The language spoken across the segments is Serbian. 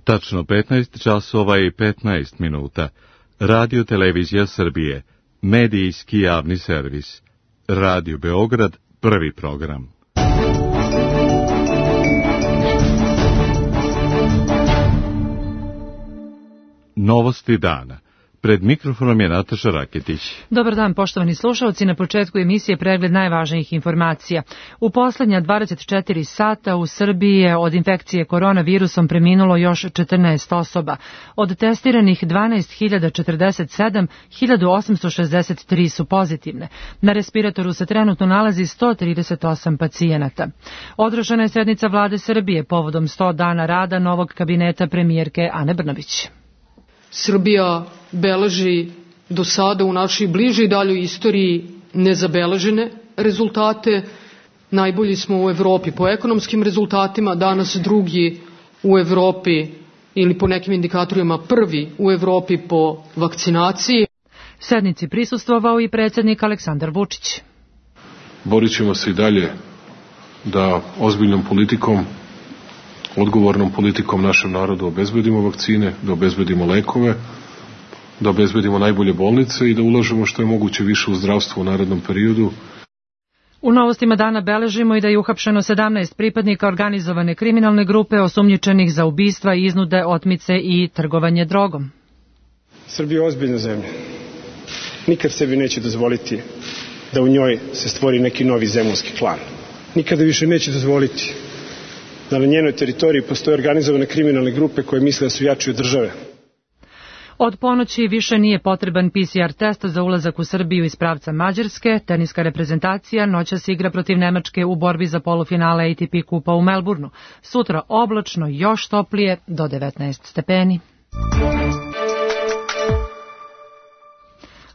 Tačno 15 časova i 15 minuta. Radio Televizija Srbije. Medijski javni servis. Radio Beograd, prvi program. Novosti dana. Pred mikrofonom je Nataša Raketić. Dobar dan, poštovani slušalci. Na početku emisije pregled najvažnijih informacija. U poslednja 24 sata u Srbiji je od infekcije koronavirusom preminulo još 14 osoba. Od testiranih 12.047, 1.863 su pozitivne. Na respiratoru se trenutno nalazi 138 pacijenata. Održana je sednica Vlade Srbije povodom 100 dana rada novog kabineta premijerke Ane Brnabić. Srbija beleži do sada u našoj bližoj i daljoj istoriji nezabeležene rezultate. Najbolji smo u Evropi po ekonomskim rezultatima, danas drugi u Evropi ili po nekim indikatorima prvi u Evropi po vakcinaciji. Sednici prisustvovao i predsjednik Aleksandar Vučić. Borit ćemo se i dalje da ozbiljnom politikom, odgovornom politikom našem narodu obezbedimo vakcine, da obezbedimo lekove, da obezbedimo najbolje bolnice i da ulažemo što je moguće više u zdravstvo u narednom periodu. U novostima dana beležimo i da je uhapšeno 17 pripadnika organizovane kriminalne grupe osumnjičenih za ubistva, iznude, otmice i trgovanje drogom. Srbija je ozbiljna zemlja. Nikad sebi neće dozvoliti da u njoj se stvori neki novi zemunski klan. Nikada više neće dozvoliti da na njenoj teritoriji postoje organizovane kriminalne grupe koje misle da su jači od države. Od ponoći više nije potreban PCR test za ulazak u Srbiju iz pravca Mađarske. Teniska reprezentacija noćas igra protiv Nemačke u borbi za polufinale ATP kupa u Melbourneu. Sutra oblačno, još toplije, do 19 stepeni.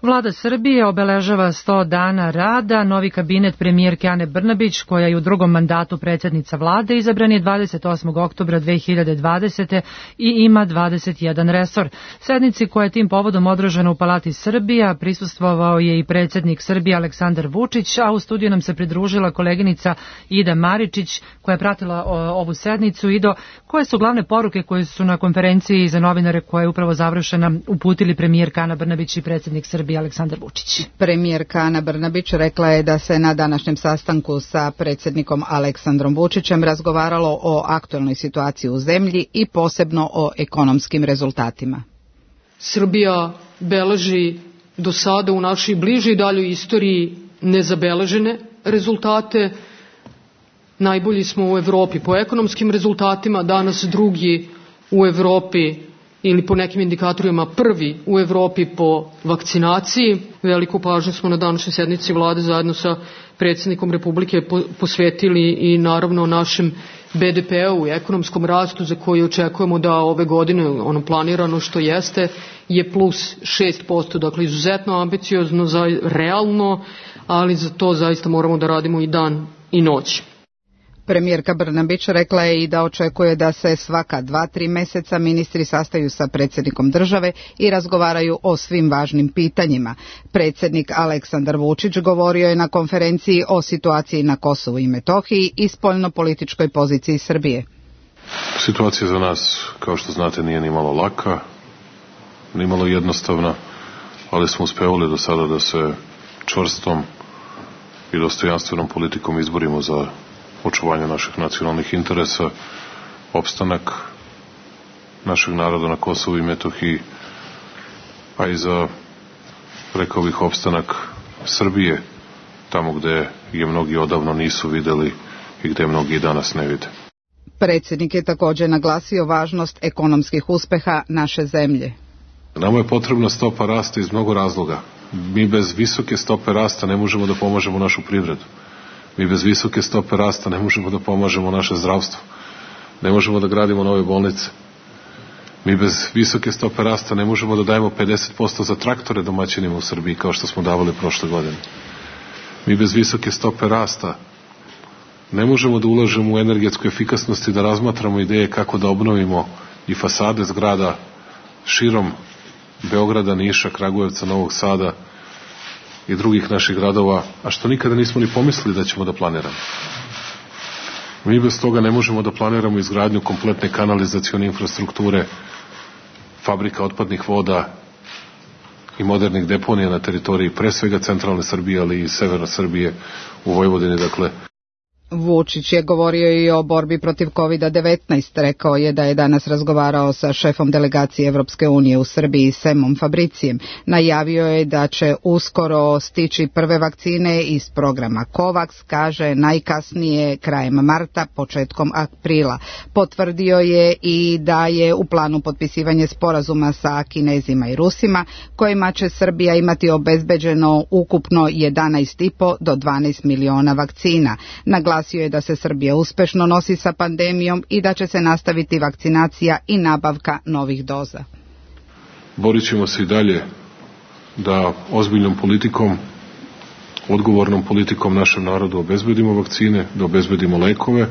Vlada Srbije obeležava 100 dana rada. Novi kabinet premijerke Ane Brnabić, koja je u drugom mandatu predsjednica vlade, izabran je 28. oktobra 2020. i ima 21 resor. Sednici koja je tim povodom održana u Palati Srbija prisustvovao je i predsjednik Srbije Aleksandar Vučić, a u studiju nam se pridružila koleginica Ida Maričić koja je pratila ovu sednicu. Ido, koje su glavne poruke koje su na konferenciji za novinare koja je upravo završena uputili premijerka Ana Brnabić i predsjednik Srbije Aleksandar Vučić? Premijerka Ana Brnabić rekla je da se na današnjem sastanku sa predsjednikom Aleksandrom Vučićem razgovaralo o aktualnoj situaciji u zemlji i posebno o ekonomskim rezultatima. Srbija beleži do sada u našoj bližoj i daljoj istoriji nezabeležene rezultate. Najbolji smo u Evropi po ekonomskim rezultatima, danas drugi u Evropi ili po nekim indikatorima prvi u Evropi po vakcinaciji. Veliku pažnju smo na današnjoj sednici vlade zajedno sa predsjednikom Republike posvetili i naravno našem BDP-u i ekonomskom rastu za koji očekujemo da ove godine, ono planirano što jeste, je plus 6%, dakle izuzetno ambiciozno, realno, ali za to zaista moramo da radimo i dan i noć. Premijerka Brnabić rekla je i da očekuje da se svaka 2-3 meseca ministri sastaju sa predsjednikom države i razgovaraju o svim važnim pitanjima. Predsjednik Aleksandar Vučić govorio je na konferenciji o situaciji na Kosovu i Metohiji i spoljnopolitičkoj poziciji Srbije. Situacija za nas, kao što znate, nije ni malo laka, ni malo jednostavna, ali smo uspevali do sada da se čvrstom i dostojanstvenom politikom izborimo za očuvanje naših nacionalnih interesa, opstanak našeg naroda na Kosovu i Metohiji, a i za, rekao bih, opstanak Srbije, tamo gde je mnogi odavno nisu videli i gde mnogi i danas ne vide. Predsjednik je također naglasio važnost ekonomskih uspeha naše zemlje. Nama je potrebna stopa rasta iz mnogo razloga. Mi bez visoke stope rasta ne možemo da pomažemo našu privredu. Mi bez visoke stope rasta ne možemo da pomažemo naše zdravstvo. Ne možemo da gradimo nove bolnice. Mi bez visoke stope rasta ne možemo da dajemo 50% za traktore domaćinima u Srbiji kao što smo davali prošle godine. Mi bez visoke stope rasta ne možemo da ulažemo u energetsku efikasnost i da razmatramo ideje kako da obnovimo i fasade zgrada širom Beograda, Niša, Kragujevca, Novog Sada i drugih naših gradova, a što nikada nismo ni pomislili da ćemo da planiramo. Mi bez toga ne možemo da planiramo izgradnju kompletne kanalizacione infrastrukture, fabrika otpadnih voda i modernih deponija na teritoriji pre svega centralne Srbije, ali i severa Srbije u Vojvodini, dakle. Vučić je govorio i o borbi protiv COVID-19. Rekao je da je danas razgovarao sa šefom delegacije Evropske unije u Srbiji, Semom Fabricijem. Najavio je da će uskoro stići prve vakcine iz programa COVAX, kaže najkasnije krajem marta, početkom aprila. Potvrdio je i da je u planu potpisivanje sporazuma sa Kinezima i Rusima, kojima će Srbija imati obezbeđeno ukupno 11,5 do 12 miliona vakcina. Naglasio je da se Srbija uspešno nosi sa pandemijom i da će se nastaviti vakcinacija i nabavka novih doza. Borit ćemo se i dalje da ozbiljnom politikom, odgovornom politikom našem narodu obezbedimo vakcine, da obezbedimo lekove,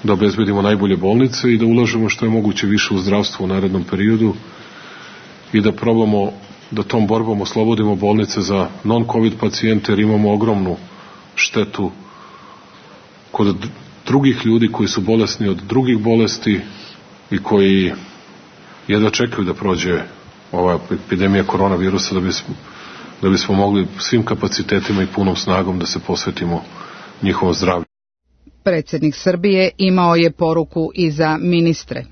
da obezbedimo najbolje bolnice i da ulažemo što je moguće više u zdravstvo u narednom periodu i da probamo da tom borbom oslobodimo bolnice za non-covid pacijente, jer imamo ogromnu štetu kod drugih ljudi koji su bolesni od drugih bolesti i koji jedva čekaju da prođe ova epidemija koronavirusa da bismo mogli svim kapacitetima i punom snagom da se posvetimo njihovom zdravlju. Predsjednik Srbije imao je poruku i za ministre.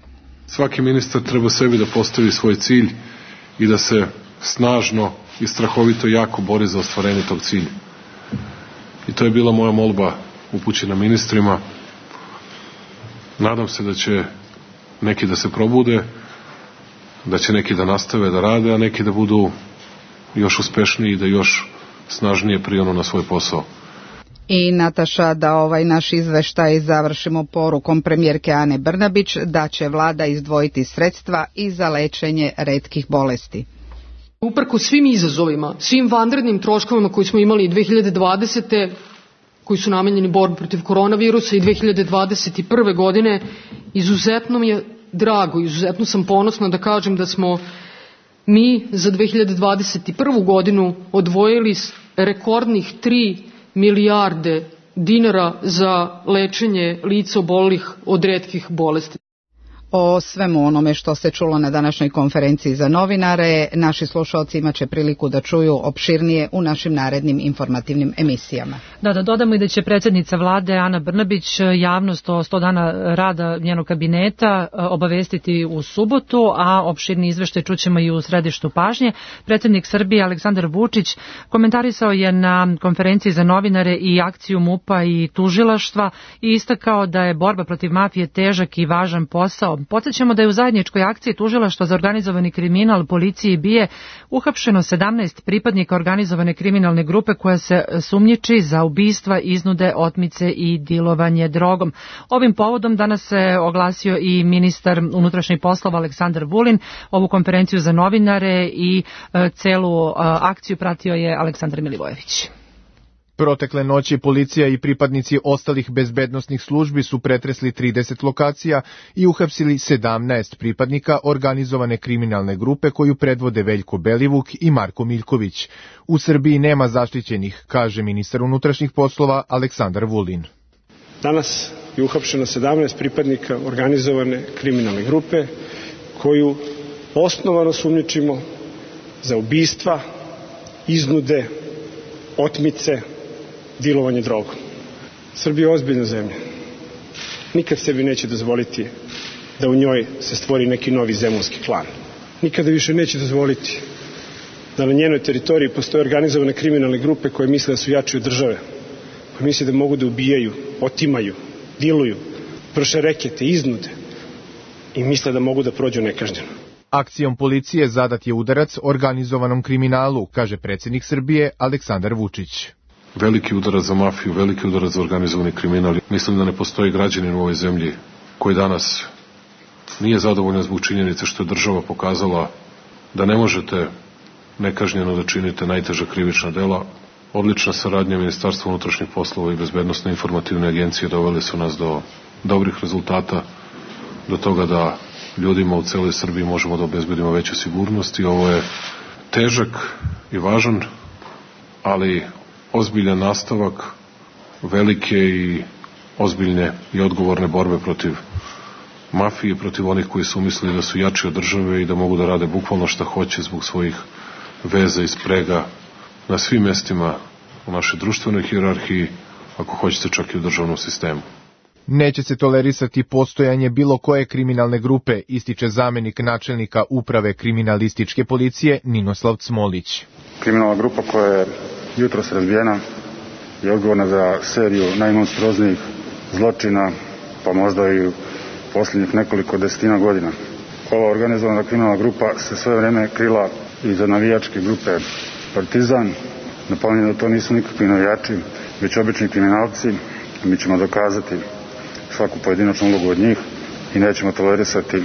Svaki ministar treba sebi da postavi svoj cilj i da se snažno i strahovito jako bori za ostvarenje tog cilja. I to je bila moja molba upućena ministrima. Nadam se da će neki da se probude, da će neki da nastave da rade, a neki da budu još uspešniji i da još snažnije prionu na svoj posao. I Nataša, da ovaj naš izveštaj završimo porukom premijerke Ane Brnabić da će vlada izdvojiti sredstva i za lečenje retkih bolesti. Uprkos svim izazovima, svim vanrednim troškovima koji smo imali 2020. koji su namenjeni borbi protiv koronavirusa i 2021. godine, izuzetno mi je drago, izuzetno sam ponosna da kažem da smo mi za 2021. godinu odvojili rekordnih 3 milijarde dinara za lečenje lica obolelih od retkih bolesti. O svemu onome što se čulo na današnjoj konferenciji za novinare, naši slušalci imaće priliku da čuju opširnije u našim narednim informativnim emisijama. Da dodamo i da će predsjednica vlade Ana Brnabić javnost o 100 dana rada njenog kabineta obavestiti u subotu, a opširni izveštaj čućemo i u središtu pažnje. Predsjednik Srbije Aleksandar Vučić komentarisao je na konferenciji za novinare i akciju MUP-a i tužilaštva i istakao da je borba protiv mafije težak i važan posao. Podsjećamo da je u zajedničkoj akciji tužilaštva za organizovani kriminal, policije i BIA uhapšeno 17 pripadnika organizovane kriminalne grupe koja se sumnjiči za ubistva, iznude, otmice i dilovanje drogom. Ovim povodom danas se oglasio i ministar unutrašnjih poslova Aleksandar Vulin. Ovu konferenciju za novinare i celu akciju pratio je Aleksandar Milivojević. Protekle noći policija i pripadnici ostalih bezbednosnih službi su pretresli 30 lokacija i uhapsili 17 pripadnika organizovane kriminalne grupe koju predvode Veljko Belivuk i Marko Miljković. U Srbiji nema zaštićenih, kaže ministar unutrašnjih poslova Aleksandar Vulin. Danas je uhapšeno 17 pripadnika organizovane kriminalne grupe koju osnovano sumnjičimo za ubistva, iznude, otmice, dilovanje drogom. Srbija je ozbiljna zemlja. Nikad sebi neće dozvoliti da u njoj se stvori neki novi zemunski klan. Nikada više neće dozvoliti da na njenoj teritoriji postoje organizovane kriminalne grupe koje misle da su jači od države, koje misle da mogu da ubijaju, otimaju, diluju, vrše rekete, iznude i misle da mogu da prođu nekažnjeno. Akcijom policije zadat je udarac organizovanom kriminalu, kaže predsjednik Srbije Aleksandar Vučić. Veliki udarac za mafiju, veliki udarac za organizovani kriminal. Mislim da ne postoji građanin u ovoj zemlji koji danas nije zadovoljan zbog činjenice što je država pokazala da ne možete nekažnjeno da činite najteža krivična dela. Odlična saradnja Ministarstva unutrašnjih poslova i Bezbednosne informativne agencije doveli su nas do dobrih rezultata, do toga da ljudima u celoj Srbiji možemo da obezbedimo veću sigurnost i ovo je težak i važan, ali ozbiljan nastavak velike i ozbiljne i odgovorne borbe protiv mafije, protiv onih koji su mislili da su jači od države i da mogu da rade bukvalno šta hoće zbog svojih veza i sprega na svim mestima u našoj društvenoj hijerarhiji, ako hoćete čak i u državnom sistemu. Neće se tolerisati postojanje bilo koje kriminalne grupe, ističe zamenik načelnika uprave kriminalističke policije Ninoslav Cmolić. Kriminalna grupa koja je jutros razbijena je odgovorna za seriju najmonstruoznijih zločina, pa možda i u posljednjih nekoliko desetina godina. Ova organizovana kriminalna grupa se sve vreme krila iza navijačke grupe Partizan. Napominjem da to nisu nikakvi navijači, već obični kriminalci. Mi ćemo dokazati svaku pojedinačnu ulogu od njih i nećemo tolerisati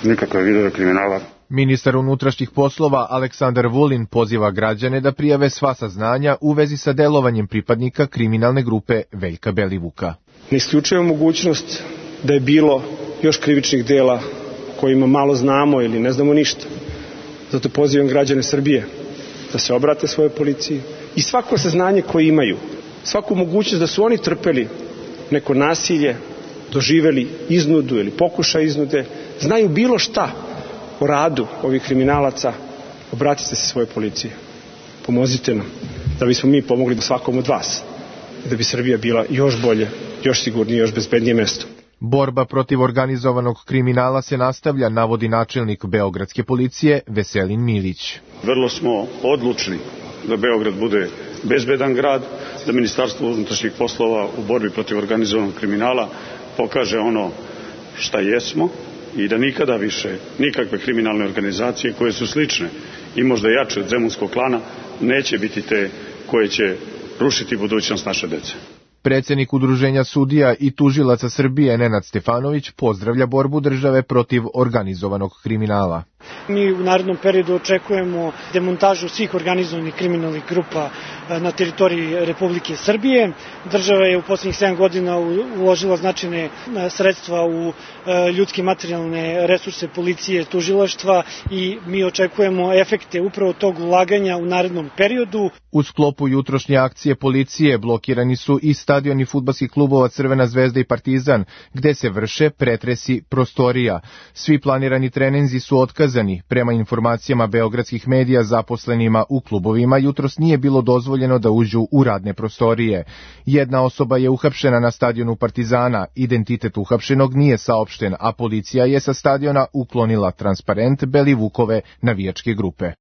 nikakve vidove kriminala. Ministar unutrašnjih poslova Aleksandar Vulin poziva građane da prijave sva saznanja u vezi sa delovanjem pripadnika kriminalne grupe Veljka Belivuka. Ne isključujemo mogućnost da je bilo još krivičnih dela kojima malo znamo ili ne znamo ništa. Zato pozivam građane Srbije da se obrate svoje policiji i svako saznanje koje imaju, svaku mogućnost da su oni trpeli neko nasilje, doživeli iznudu ili pokušaj iznude, znaju bilo šta o radu ovih kriminalaca, obratite se svoje policije. Pomozite nam da bismo mi pomogli svakom od vas i da bi Srbija bila još bolje, još sigurnije, još bezbednije mesto. Borba protiv organizovanog kriminala se nastavlja, navodi načelnik Beogradske policije Veselin Milić. Vrlo smo odlučni da Beograd bude bezbedan grad, da Ministarstvo unutrašnjih poslova u borbi protiv organizovanog kriminala pokaže ono šta jesmo i da nikada više nikakve kriminalne organizacije koje su slične i možda jače od zemunskog klana neće biti te koje će rušiti budućnost naše dece. Predsjednik Udruženja sudija i tužilaca Srbije Nenad Stefanović pozdravlja borbu države protiv organizovanog kriminala. Mi u narednom periodu očekujemo demontažu svih organizovanih kriminalnih grupa na teritoriji Republike Srbije. Država je u posljednjih 7 godina uložila značajne sredstva u ljudske i materijalne resurse policije, tužilaštva i mi očekujemo efekte upravo tog ulaganja u narednom periodu. U sklopu jutrošnje akcije policije blokirani su i stadioni fudbalskih klubova Crvena zvezda i Partizan, gde se vrše pretresi prostorija. Svi planirani treninzi su otkazani. Prema informacijama beogradskih medija, zaposlenima u klubovima jutros nije bilo dozvoljeno da uđu u radne prostorije. Jedna osoba je uhapšena na stadionu Partizana, identitet uhapšenog nije saopšten, a policija je sa stadiona uklonila transparent Belivukove navijačke grupe.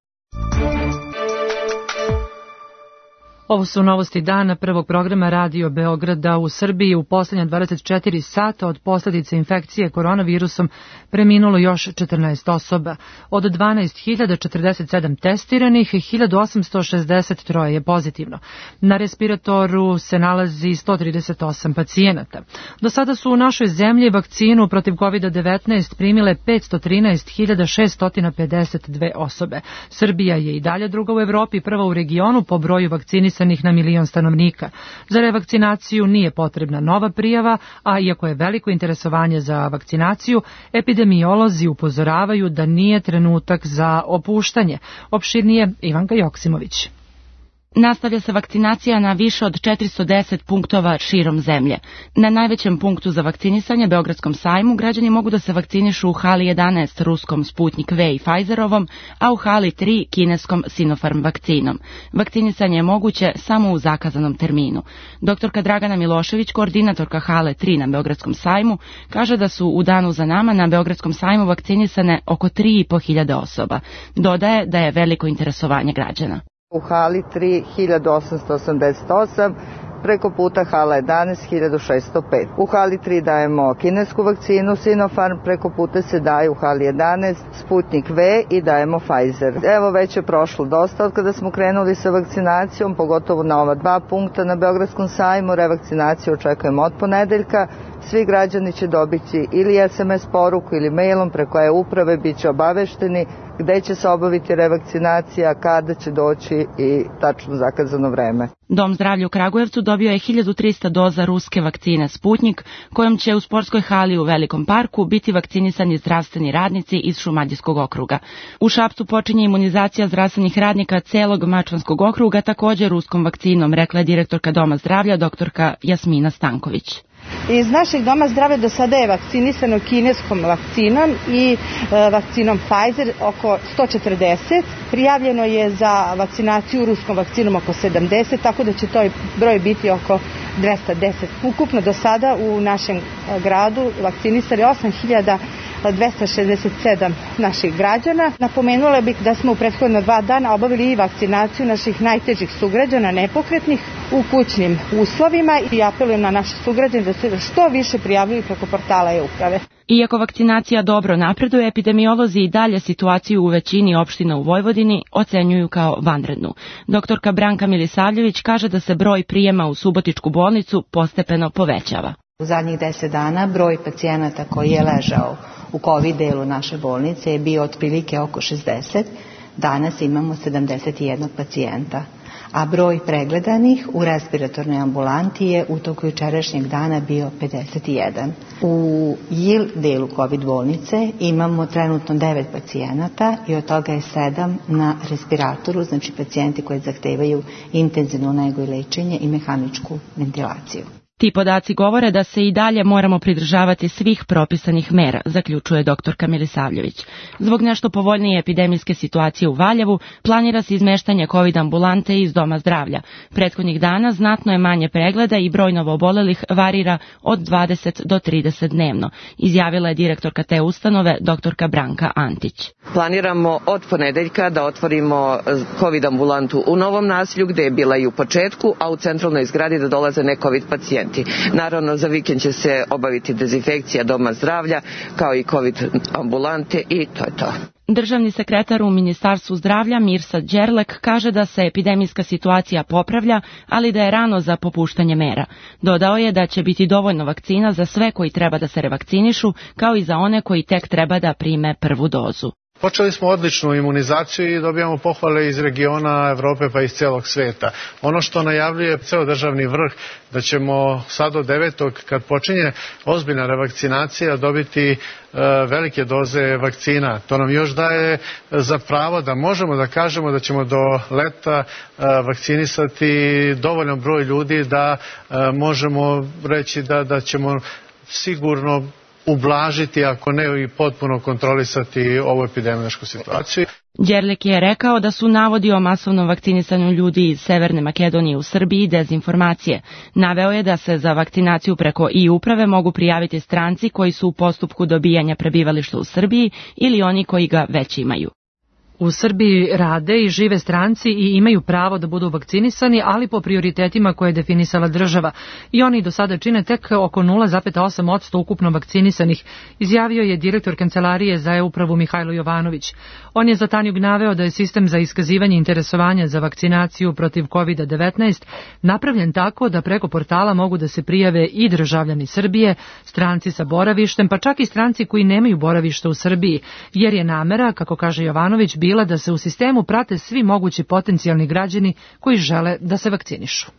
Ovo su novosti dana prvog programa Radio Beograda. U Srbiji u posljednja 24 sata od posljedice infekcije koronavirusom preminulo još 14 osoba. Od 12.047 testiranih, 1.863 je pozitivno. Na respiratoru se nalazi 138 pacijenata. Do sada su u našoj zemlji vakcinu protiv COVID-19 primile 513.652 osobe. Srbija je i dalje druga u Evropi, prva u regionu po broju vakcinisanih na milion stanovnika. Za revakcinaciju nije potrebna nova prijava, a iako je veliko interesovanje za vakcinaciju, epidemiolozi upozoravaju da nije trenutak za opuštanje. Opširnije Ivanka Joksimović. Nastavlja se vakcinacija na više od 410 punktova širom zemlje. Na najvećem punktu za vakcinisanje, Beogradskom sajmu, građani mogu da se vakcinišu u hali 11 ruskom Sputnik V i Pfizerovom, a u hali 3 kineskom Sinopharm vakcinom. Vakcinisanje je moguće samo u zakazanom terminu. Doktorka Dragana Milošević, koordinatorka hale 3 na Beogradskom sajmu, kaže da su u danu za nama na Beogradskom sajmu vakcinisane oko 3.500 osoba. Dodaje da je veliko interesovanje građana. U hali 3 1888, preko puta hala 11 1605. U hali 3 dajemo kinesku vakcinu Sinopharm, preko puta se daje u hali 11 Sputnik V i dajemo Pfizer. Evo već je prošlo dosta od kada smo krenuli sa vakcinacijom, pogotovo na ova 2 punkta na Beogradskom sajmu. Revakcinaciju očekujemo od ponedeljka. Svi građani će dobiti ili SMS poruku ili mailom preko e-uprave, bit će obavešteni gde će se obaviti revakcinacija, kada će doći i tačno zakazano vreme. Dom zdravlja u Kragujevcu dobio je 1300 doza ruske vakcine Sputnik, kojom će u sportskoj hali u Velikom parku biti vakcinisani zdravstveni radnici iz Šumadijskog okruga. U Šapcu počinje imunizacija zdravstvenih radnika celog Mačvanskog okruga također ruskom vakcinom, rekla je direktorka Doma zdravlja doktorka Jasmina Stanković. Iz našeg doma zdravlja do sada je vakcinisano kineskom vakcinom i vakcinom Pfizer oko 140. Prijavljeno je za vakcinaciju ruskom vakcinom oko 70, tako da će to broj biti oko 210. Ukupno do sada u našem gradu vakcinisali 8.267 naših građana. Napomenula bih da smo u prethodno 2 dana obavili i vakcinaciju naših najtežih sugrađana nepokretnih u kućnim uslovima i apelujem na naše sugrađane da se što više prijavljuju preko portala e-uprave. Iako vakcinacija dobro napreduje, epidemiolozi i dalje situaciju u većini opština u Vojvodini ocenjuju kao vanrednu. Doktorka Branka Milisavljević kaže da se broj prijema u Subotičku bolnicu postepeno povećava. U zadnjih 10 dana broj pacijenata koji je ležao u COVID delu naše bolnice je bio otprilike oko 60. Danas imamo 71 pacijenta, a broj pregledanih u respiratornoj ambulanti je u toku jučerašnjeg dana bio 51. U JIL delu COVID bolnice imamo trenutno 9 pacijenata i od toga je 7 na respiratoru, znači pacijenti koji zahtevaju intenzivnu negu i lečenje i mehaničku ventilaciju. Ti podaci govore da se i dalje moramo pridržavati svih propisanih mera, zaključuje doktorka Milisavljević. Zbog nešto povoljnije epidemijske situacije u Valjevu, planira se izmeštanje COVID ambulante iz doma zdravlja. Prethodnih dana znatno je manje pregleda i broj novoobolelih varira od 20 do 30 dnevno, izjavila je direktorka te ustanove, doktorka Branka Antić. Planiramo od ponedeljka da otvorimo COVID ambulantu u Novom naselju, gde je bila i u početku, a u centralnoj zgradi da dolaze ne COVID pacijenti. Naravno, za vikend će se obaviti dezinfekcija doma zdravlja, kao i COVID ambulante i to je to. Državni sekretar u Ministarstvu zdravlja Mirsad Đerlek kaže da se epidemijska situacija popravlja, ali da je rano za popuštanje mera. Dodao je da će biti dovoljno vakcina za sve koji treba da se revakcinišu, kao i za one koji tek treba da prime prvu dozu. Počeli smo odličnu imunizaciju i dobijamo pohvale iz regiona Evrope pa iz celog sveta. Ono što najavljuje ceo državni vrh, da ćemo sad od 9. kad počinje ozbiljna revakcinacija dobiti velike doze vakcina. To nam još daje za pravo da možemo da kažemo da ćemo do leta vakcinisati dovoljan broj ljudi da možemo reći da ćemo sigurno ublažiti, ako ne i potpuno kontrolisati ovu epidemiološku situaciju. Đerlek je rekao da su navodi o masovnom vakcinisanju ljudi iz Severne Makedonije u Srbiji dezinformacije. Naveo je da se za vakcinaciju preko e-uprave mogu prijaviti stranci koji su u postupku dobijanja prebivališta u Srbiji ili oni koji ga već imaju. U Srbiji rade i žive stranci i imaju pravo da budu vakcinisani, ali po prioritetima koje je definisala država. I oni do sada čine tek oko 0,8% ukupno vakcinisanih, izjavio je direktor Kancelarije za e-upravu Mihajlo Jovanović. On je za Tanjug naveo da je sistem za iskazivanje interesovanja za vakcinaciju protiv COVID-19 napravljen tako da preko portala mogu da se prijave i državljani Srbije, stranci sa boravištem, pa čak i stranci koji nemaju boravište u Srbiji, jer je namera, kako kaže Jovanović, bila da se u sistemu prate svi mogući potencijalni građani koji žele da se vakcinišu.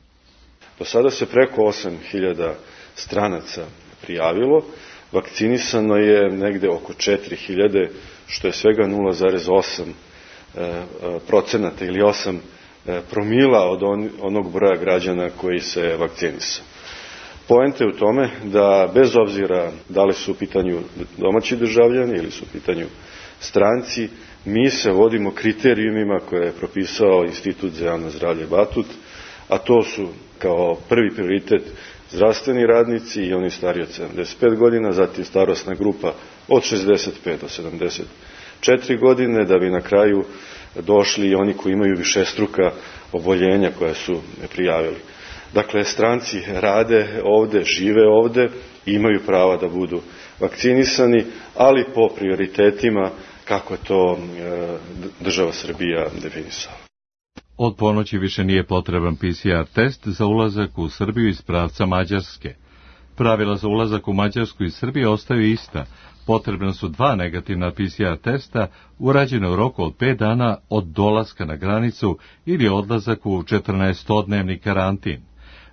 Do sada se preko 8.000 stranaca prijavilo, vakcinisano je negde oko 4.000, što je svega 0,8% ili 8 promila od onog broja građana koji se vakcinisao. Poenta je u tome da bez obzira da li su u pitanju domaći državljani ili su u pitanju stranci, mi se vodimo kriterijumima koje je propisao Institut za javno zdravlje Batut, a to su kao prvi prioritet zdravstveni radnici i oni stariji od 75 godina, zatim starosna grupa od 65 do 74 godine, da bi na kraju došli i oni koji imaju višestruka oboljenja koja su prijavili. Dakle, stranci rade ovde, žive ovde, imaju prava da budu vakcinisani, ali po prioritetima kako je to država Srbija definisala. Od ponoći više nije potreban PCR test za ulazak u Srbiju iz pravca Mađarske. Pravila za ulazak u Mađarsku iz Srbije ostaju ista. Potrebna su 2 negativna PCR testa urađene u roku od 5 dana od dolaska na granicu ili odlazak u 14-dnevni karantin.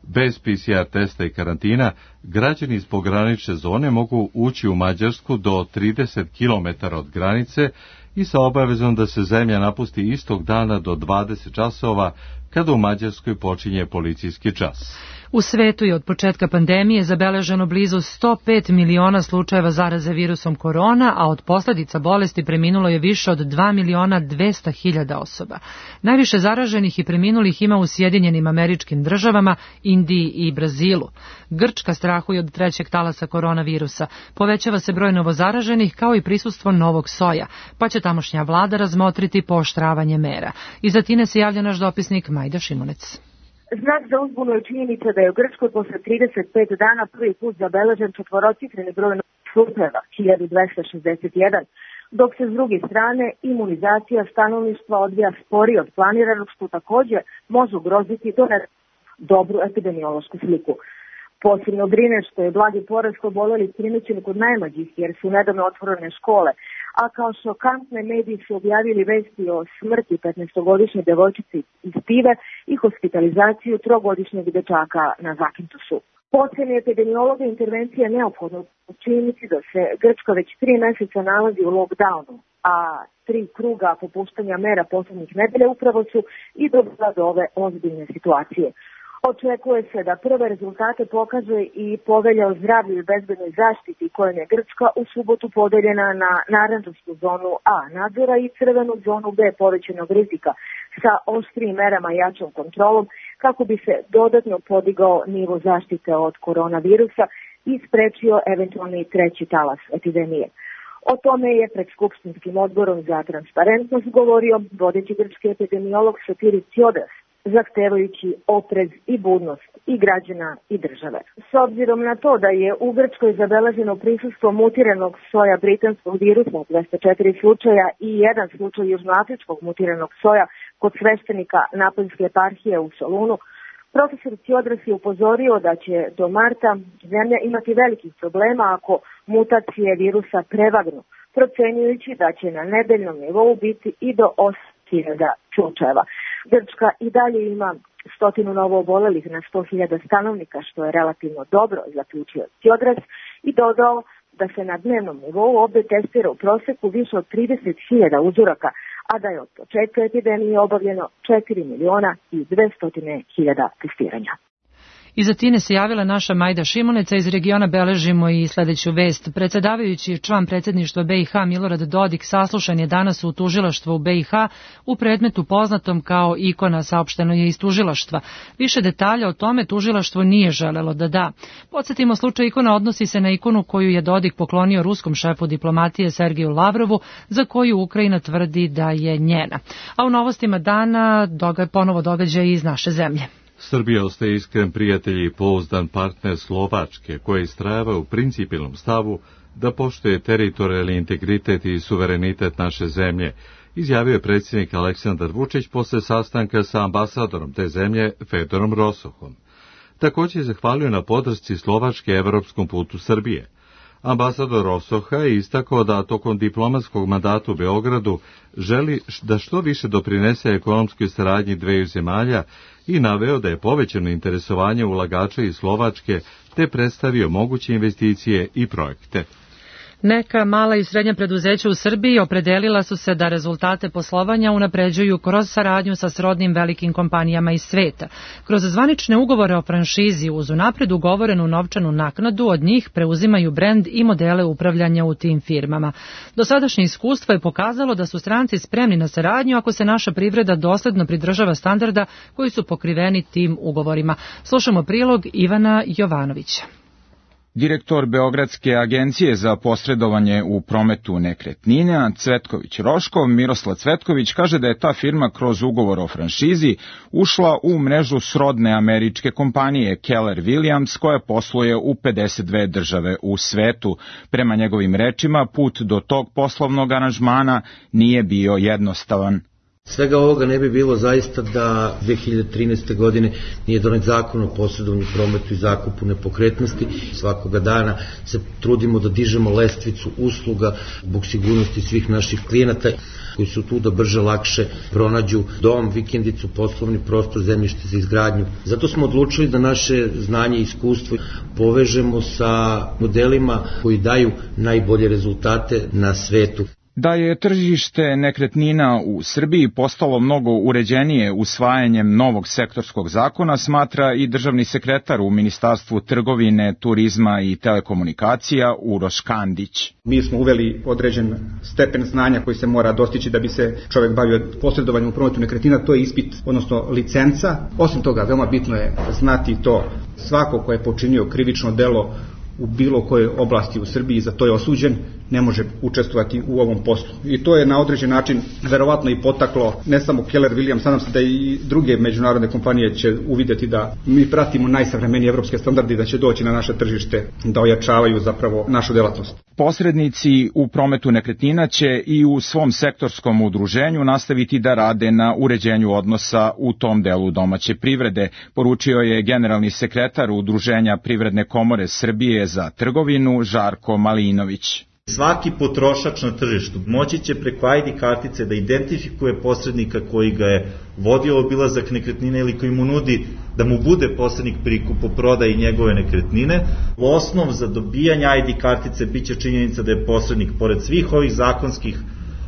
Bez PCR testa i karantina građani iz pogranične zone mogu ući u Mađarsku do 30 km od granice i sa obavezom da se zemlja napusti istog dana do 20 časova, kada u Mađarskoj počinje policijski čas. U svetu je od početka pandemije zabeleženo blizu 105 miliona slučajeva zaraze virusom korona, a od posljedica bolesti preminulo je više od 2 miliona 200 hiljada osoba. Najviše zaraženih i preminulih ima u Sjedinjenim Američkim Državama, Indiji i Brazilu. Grčka strahuje od trećeg talasa koronavirusa. Povećava se broj novozaraženih kao i prisustvo novog soja, pa će tamošnja vlada razmotriti pooštravanje mera. Iz Atine se javlja naš dopisnik Majda Šimunec. Znak za uzbunu je činjenica da je u Grčkoj posle 35 dana prvi put zabeležen četvorocifreni broj slučajeva, 1261, dok se s druge strane imunizacija stanovništva odvija sporije od planiranog, što također može ugroziti dobru epidemiološku sliku. Posebno brine što je blagi porast obolelih primećen kod najmlađih, jer su nedavno otvorene škole, a kao šokantne mediji su objavili vesti o smrti 15-godišnje devojčice iz Pive i hospitalizaciju 3-godišnjeg dečaka na Zakintosu. Po oceni epidemiologa intervencija je neophodna u činjenici da se Grčka već 3 mjeseca nalazi u lockdownu, a 3 kruga popuštanja mera poslednjih nedelja upravo su i dovela do ove ozbiljne situacije. Očekuje se da prve rezultate pokaže i povelja o zdravlju i bezbednoj zaštiti, kojom je Grčka u subotu podeljena na narandžansku zonu A nadzora i crvenu zonu B povećanog rizika sa oštrijim merama i jačom kontrolom, kako bi se dodatno podigao nivo zaštite od koronavirusa i sprečio eventualni treći talas epidemije. O tome je pred Skupštinskim odborom za transparentnost govorio vodeći grčki epidemiolog Sotiris Tsiodras, zahtevajući oprez i budnost i građana i države. S obzirom na to da je u Grčkoj zabeleženo prisustvo mutiranog soja britanskog virusa, 204 slučaja i 1 slučaj južnoafričkog mutiranog soja kod sveštenika Napoljske eparhije u Solunu, profesor Tsiodras je upozorio da će do marta zemlja imati velikih problema ako mutacije virusa prevagnu, procenjujući da će na nedeljnom nivou biti i do 8.000 slučajeva. Grčka i dalje ima 100 novo obolelih na 100.000 stanovnika, što je relativno dobro, zaključio Tsiodras, i dodao da se na dnevnom nivou ovdje testira u proseku više od 30.000 uzoraka, a da je od početka epidemije obavljeno 4.200.000 testiranja. Iz Atine se javila naša Majda Šimuneca. Iz regiona beležimo i sljedeću vest. Predsjedavajući član predsjedništva BiH Milorad Dodik saslušan je danas u tužilaštvu u BiH u predmetu poznatom kao ikona, saopšteno je iz tužilaštva. Više detalja o tome tužilaštvo nije želelo da da. Podsjetimo, slučaj ikona odnosi se na ikonu koju je Dodik poklonio ruskom šefu diplomatije Sergeju Lavrovu, za koju Ukrajina tvrdi da je njena. A u novostima dana ponovo događaj iz naše zemlje. Srbija ostaje iskren prijatelj i pouzdan partner Slovačke, koja istrajava u principijelnom stavu da poštuje teritorijalni integritet i suverenitet naše zemlje, izjavio je predsjednik Aleksandar Vučić posle sastanka sa ambasadorom te zemlje Fedorom Rosohom. Također je zahvalio na podršci Slovačke evropskom putu Srbije. Ambasador Rosoha je istakao da tokom diplomatskog mandata u Beogradu želi da što više doprinese ekonomskoj saradnji dveju zemalja i naveo da je povećano interesovanje ulagača iz Slovačke te predstavio moguće investicije i projekte. Neka mala i srednja preduzeća u Srbiji opredelila su se da rezultate poslovanja unapređuju kroz saradnju sa srodnim velikim kompanijama iz sveta. Kroz zvanične ugovore o franšizi uz unapred ugovorenu novčanu naknadu od njih preuzimaju brend i modele upravljanja u tim firmama. Dosadašnje iskustvo je pokazalo da su stranci spremni na saradnju ako se naša privreda dosledno pridržava standarda koji su pokriveni tim ugovorima. Slušamo prilog Ivana Jovanovića. Direktor Beogradske agencije za posredovanje u prometu nekretnina Cvetković Roškov, Miroslav Cvetković, kaže da je ta firma kroz ugovor o franšizi ušla u mrežu srodne američke kompanije Keller Williams, koja posluje u 52 države u svetu. Prema njegovim rečima, put do tog poslovnog aranžmana nije bio jednostavan. Svega ovoga ne bi bilo zaista da 2013. godine nije donet zakon o posredovanju, prometu i zakupu nepokretnosti. Svakoga dana se trudimo da dižemo lestvicu usluga zbog sigurnosti svih naših klijenata koji su tu da brže, lakše pronađu dom, vikendicu, poslovni prostor, zemljište za izgradnju. Zato smo odlučili da naše znanje i iskustvo povežemo sa modelima koji daju najbolje rezultate na svetu. Da je tržište nekretnina u Srbiji postalo mnogo uređenije usvajanjem novog sektorskog zakona, smatra i državni sekretar u Ministarstvu trgovine, turizma i telekomunikacija Uroš Kandić. Mi smo uveli određen stepen znanja koji se mora dostići da bi se čovjek bavio posredovanjem u prometu nekretnina, to je ispit, odnosno licenca. Osim toga, veoma bitno je znati to, svako ko je počinio krivično delo u bilo kojoj oblasti u Srbiji, za to je osuđen, ne može učestvovati u ovom poslu. I to je na određen način verovatno i potaklo ne samo Keller Williams, nadam se da i druge međunarodne kompanije će uvidjeti da mi pratimo najsavremenije evropske standarde i da će doći na naše tržište da ojačavaju zapravo našu delatnost. Posrednici u prometu nekretnina će i u svom sektorskom udruženju nastaviti da rade na uređenju odnosa u tom delu domaće privrede, poručio je generalni sekretar Udruženja Privredne komore Srbije za trgovinu Žarko Malinović. Svaki potrošač na tržištu moći će preko ID kartice da identifikuje posrednika koji ga je vodio obilazak nekretnine ili koji mu nudi da mu bude posrednik pri kupoprodaji njegove nekretnine. Osnov za dobijanje ID kartice biće činjenica da je posrednik, pored svih ovih zakonskih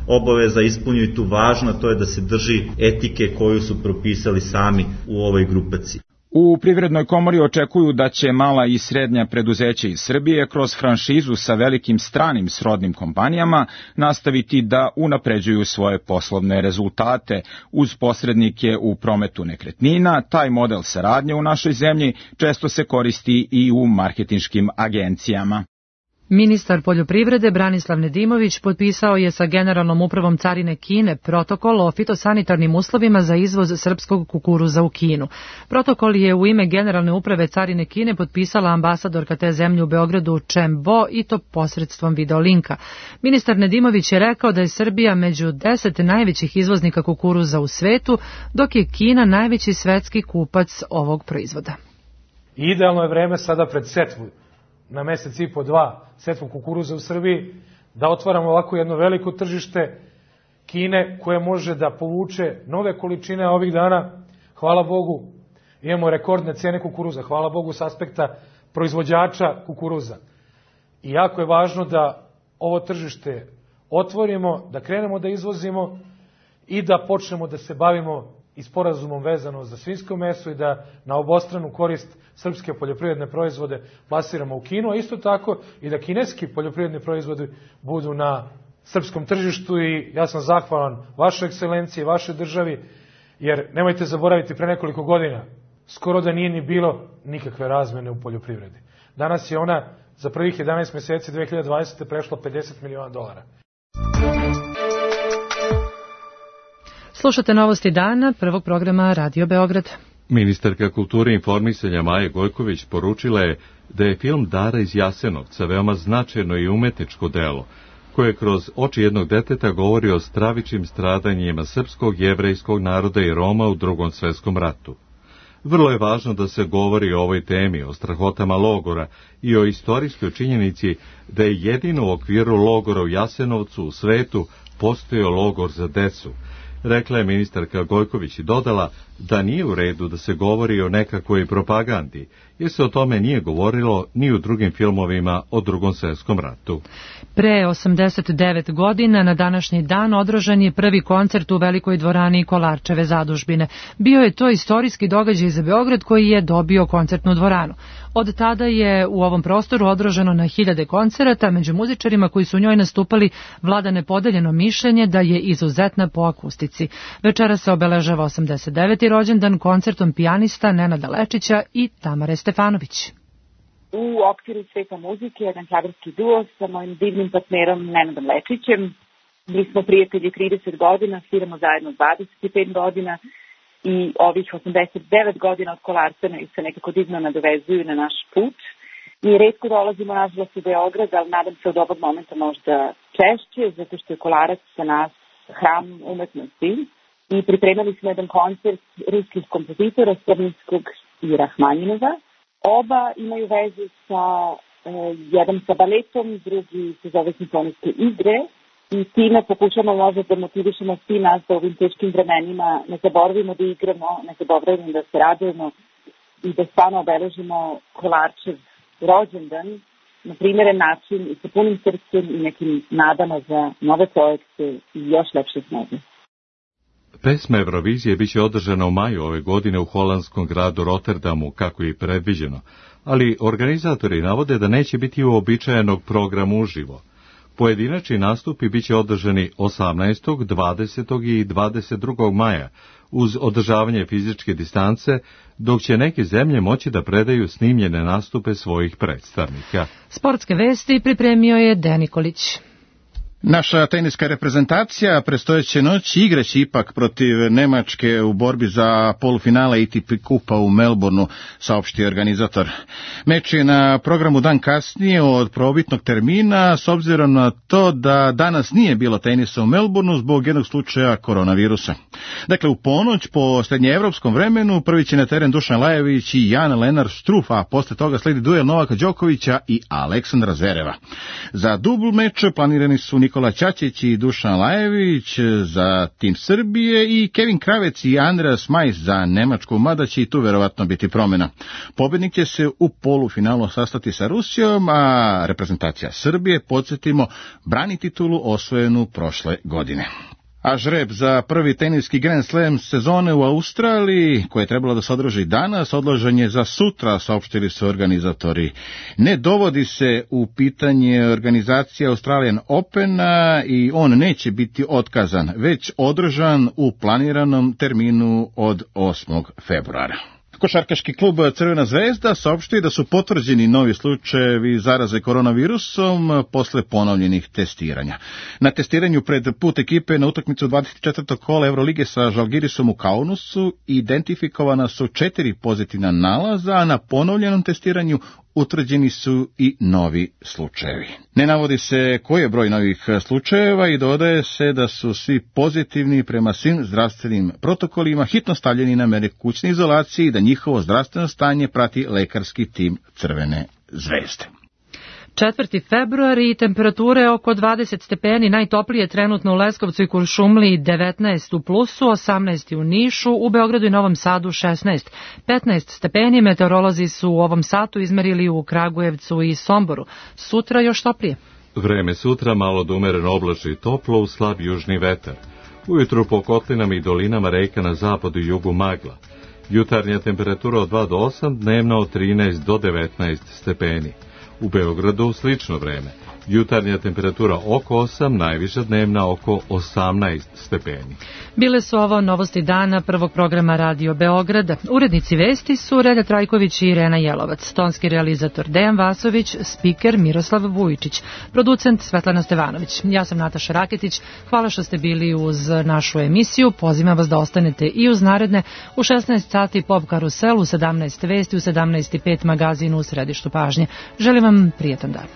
obaveza, ispunio i tu važno, to je da se drži etike koju su propisali sami u ovoj grupaciji. U Privrednoj komori očekuju da će mala i srednja preduzeća iz Srbije kroz franšizu sa velikim stranim srodnim kompanijama nastaviti da unapređuju svoje poslovne rezultate. Uz posrednike u prometu nekretnina, taj model saradnje u našoj zemlji često se koristi i u marketinškim agencijama. Ministar poljoprivrede Branislav Nedimović potpisao je sa Generalnom upravom carine Kine protokol o fitosanitarnim uslovima za izvoz srpskog kukuruza u Kinu. Protokol je u ime Generalne uprave carine Kine potpisala ambasadorka te zemlje u Beogradu Chen Bo i to posredstvom videolinka. Ministar Nedimović je rekao da je Srbija među 10 najvećih izvoznika kukuruza u svetu, dok je Kina najveći svetski kupac ovog proizvoda. Idealno je vreme sada pred setvu, na mesec i po dva, setvu kukuruza u Srbiji, da otvaramo ovako jedno veliko tržište Kine koje može da povuče nove količine ovih dana. Hvala Bogu, imamo rekordne cene kukuruza, hvala Bogu s aspekta proizvođača kukuruza. I jako je važno da ovo tržište otvorimo, da krenemo da izvozimo i da počnemo da se bavimo i sporazumom vezano za svinjsko meso i da na obostranu korist srpske poljoprivredne proizvode plasiramo u Kinu, a isto tako i da kineski poljoprivredni proizvodi budu na srpskom tržištu. I ja sam zahvalan vašoj ekscelenciji, vašoj državi, jer nemojte zaboraviti, pre nekoliko godina skoro da nije ni bilo nikakve razmene u poljoprivredi. Danas je ona za prvih 11 meseci 2020. prešla $50 miliona. Slušate novosti dana prvog programa Radio Beograd. Ministarka kulture i informisanja Maja Gojković poručila je da je film Dara iz Jasenovca veoma značajno i umetničko delo, koje kroz oči jednog deteta govori o stravičnim stradanjima srpskog, jevrejskog naroda i Roma u Drugom svetskom ratu. Vrlo je važno da se govori o ovoj temi, o strahotama logora i o istorijskoj činjenici da je jedino u okviru logora u Jasenovcu u svetu postojao logor za decu, rekla je ministarka Gojković i dodala da nije u redu da se govori o nekakvoj propagandi, jer se o tome nije govorilo ni u drugim filmovima o Drugom svjetskom ratu. Pre 89 godina na današnji dan održan je prvi koncert u Velikoj dvorani Kolarčeve zadužbine. Bio je to istorijski događaj za Beograd koji je dobio koncertnu dvoranu. Od tada je u ovom prostoru održano na hiljade koncerata, među muzičarima koji su u njoj nastupali vlada nepodeljeno mišljenje da je izuzetna po akustici. Večera se obeležava 89. rođendan koncertom pijanista Nenada Lečića i Tamare Stefanović. U okviru Sveta muzike, jedan klavirski duo sa mojim divnim partnerom Nenadom Lečićem. Mi smo prijatelji 30 godina, sviramo zajedno 25 godina i ovih 89 godina od Kolarcana se nekako divno nadovezuju na naš put. I retko dolazimo nažalost u Beograd, ali nadam se od ovog momenta možda češće, zato što je Kolarac sa nas hram umetnosti i pripremili smo jedan koncert ruskih kompozitora Stravinskog i Rahmanjinova. Oba imaju vezu sa jedan sa baletom, drugi se zove simfonijske igre i time pokušamo možda da motivišemo svi nas da u ovim teškim vremenima ne zaboravimo da igramo, ne zaboravimo da se radujemo i da stvarno obeležimo Kolarčev rođendan na primjeren način i sa punim srcem i nekim nadama za nove projekte i još lepše snove. Pesma Eurovizije biće održana u maju ove godine u holandskom gradu Rotterdamu, kako je i predviđeno, ali organizatori navode da neće biti uobičajenog programa uživo. Pojedinačni nastupi biće održani 18., 20. i 22. maja, uz održavanje fizičke distance, dok će neke zemlje moći da predaju snimljene nastupe svojih predstavnika. Sportske vesti pripremio je Dejan Nikolić. Naša teniska reprezentacija predstojeće noći igraće ipak protiv Nemačke u borbi za polufinale ATP kupa u Melbourneu, saopštio organizator. Meč je na programu dan kasnije od prvobitnog termina, s obzirom na to da danas nije bilo tenisa u Melbourneu zbog jednog slučaja koronavirusa. Dakle, u ponoć po srednjeevropskom vremenu prvi će na teren Dušan Lajović i Jan-Lennard Struff, a posle toga sledi duel Novaka Đokovića i Aleksandra Zvereva. Za dubl meč planirani su Nikola Ćaćić i Dušan Lajević za tim Srbije i Kevin Kravec i Andreas Majs za Nemačku, mada će i tu verovatno biti promjena. Pobjednik će se u polufinalu sastati sa Rusijom, a reprezentacija Srbije, podsjetimo, brani titulu osvojenu prošle godine. A žreb za prvi teniski Grand Slam sezone u Australiji, koje je trebalo da se održi danas, odložen je za sutra, saopštili su organizatori. Ne dovodi se u pitanje organizacija Australian Opena i on neće biti otkazan, već održan u planiranom terminu od 8. februara. Košarkaški klub Crvena zvezda saopštio da su potvrđeni novi slučajevi zaraze koronavirusom posle ponovljenih testiranja. Na testiranju pred put ekipe na utakmicu 24. kola Evrolige sa Žalgirisom u Kaunasu identifikovana su 4 pozitivna nalaza, a na ponovljenom testiranju utvrđeni su i novi slučajevi. Ne navodi se koji je broj novih slučajeva i dodaje se da su svi pozitivni prema svim zdravstvenim protokolima hitno stavljeni na mere kućne izolacije i da njihovo zdravstveno stanje prati lekarski tim Crvene zvezde. 4. februar i temperature oko 20 stepeni, najtoplije trenutno u Leskovcu i Kuršumliji 19 u plusu, 18 u Nišu, u Beogradu i Novom Sadu 16. 15 stepeni meteorolozi su u ovom satu izmerili u Kragujevcu i Somboru. Sutra još toplije. Vreme sutra malo da umereno oblačno i toplo uz slab južni vetar. Ujutru po kotlinama i dolinama reka na zapadu i jugu magla. Jutarnja temperatura od 2 do 8, dnevna od 13 do 19 stepeni. U Beogradu slično vreme. Jutarnja temperatura oko 8, najviša dnevna oko 18 stepeni. Bile su ovo novosti dana prvog programa Radio Beograda. Urednici vesti su Relja Trajković i Irena Jelovac, tonski realizator Dejan Vasović, spiker Miroslav Vujičić, producent Svetlana Stevanović. Ja sam Nataša Raketić. Hvala što ste bili uz našu emisiju. Pozivam vas da ostanete i uz naredne u 16 sati Pop Karusel, u 17 vesti, u 17:05 magazinu u središtu pažnje. Želim vam prijetan dan.